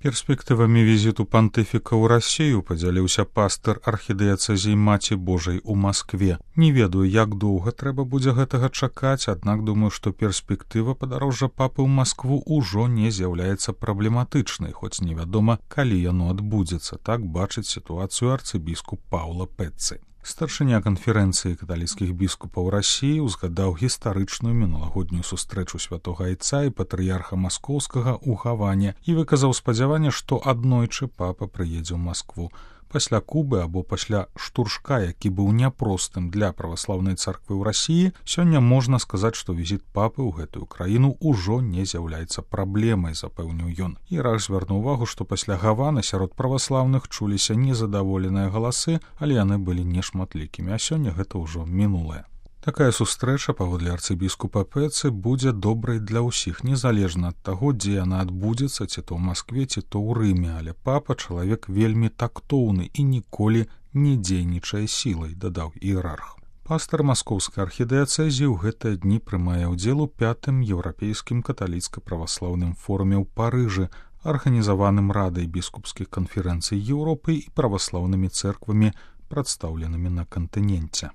Перспектывамі візіту пантыфіка ў Расію падзяліўся пастыр архідыяцэзіі Маці Божай у Маскве. Не ведаю, як доўга трэба будзе гэтага чакаць, аднак думаю, што перспектыва падарожжа папы ў Маскву ўжо не з'яўляецца праблематычнай, хоць невядома, калі яно адбудзецца. Так бачыць сітуацыю арцыбіскуп Паўла Пэццы. Старшыня канферэнцыі каталіцкіх біскупаў Расіі узгадаў гістарычную мінулагоднюю сустрэчу святога айца і патрыярха маскоўскага ў Гаване і выказаў спадзяванне, што аднойчы папа прыедзе ў Маскву. Пасля Кубы або пасля штуршка, які быў няпростым для праваслаўнай царквы ў Расіі, сёння можна сказаць, што візіт папы ў гэтую краіну ўжо не з'яўляецца праблемай, запэўніў ён. Іерарх звярнуў увагу, што пасля Гаваны сярод праваслаўных чуліся незадаволеныя галасы, але яны былі нешматлікімі, а сёння гэта ўжо мінулае. Такая сустрэча, паводле арцыбіскупа Пэццы, будзе добрай для ўсіх, незалежна ад таго, дзе яна адбудзецца, ці то ў Маскве, ці то ў Рыме, але папа чалавек вельмі тактоўны і ніколі не дзейнічае сілай, дадаў іерарх. Пастар маскоўскай архідыяцэзіі ў гэтыя дні прымае ўдзел у 5-м еўрапейскім каталіцка-праваслаўным форуме ў Парыжы, арганізаваным радай біскупскіх канферэнцый Еўропы і праваслаўнымі цэрквамі, прадстаўленымі на кантыненце.